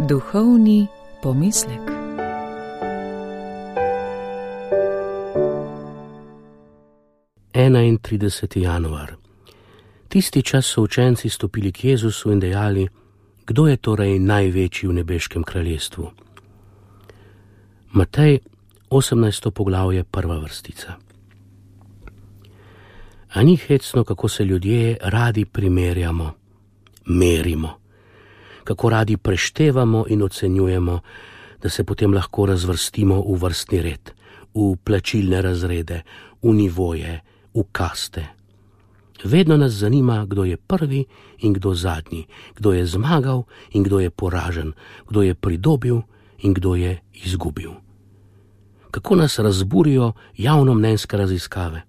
Duhovni pomislek. Enaintrideseti januar. Tisti čas so učenci stopili k Jezusu in dejali: kdo je torej največji v nebeškem kraljestvu? Matej, 18. poglavje, 1. vrstica. A ni hecno, kako se ljudje radi primerjamo, merimo, kako radi preštevamo in ocenjujemo, da se potem lahko razvrstimo v vrstni red, v plačilne razrede, v nivoje, v kaste. Vedno nas zanima, kdo je prvi in kdo zadnji, kdo je zmagal in kdo je poražen, kdo je pridobil in kdo je izgubil. Kako nas razburijo javnomnenjske raziskave.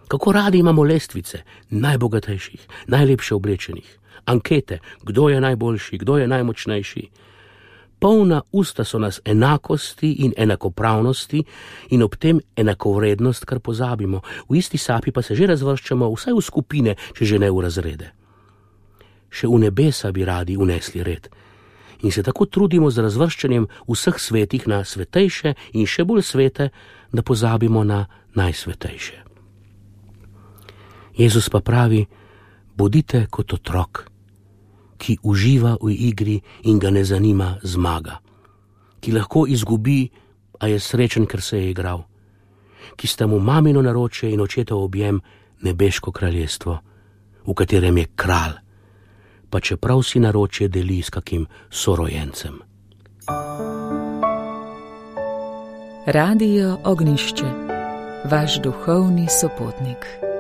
Kako radi imamo lestvice najbogatejših, najlepše oblečenih, ankete, kdo je najboljši, kdo je najmočnejši. Polna usta so nas enakosti in enakopravnosti in ob tem enakovrednost, kar pozabimo. V isti sapi pa se že razvrščamo vsaj v skupine, če že ne v razrede. Še v nebesa bi radi unesli red in se tako trudimo z razvrščanjem vseh svetih na svetejše in še bolj svete, da pozabimo na najsvetejše. Jezus pa pravi: bodite kot otrok, ki uživa v igri in ga ne zanima zmaga, ki lahko izgubi, a je srečen, ker se je igral, ki sta mu mamino naročje in očetov objem nebeško kraljestvo, v katerem je kralj, pa čeprav si naročje deli s kakim sorojencem. Radio Ognjišče, vaš duhovni sopotnik.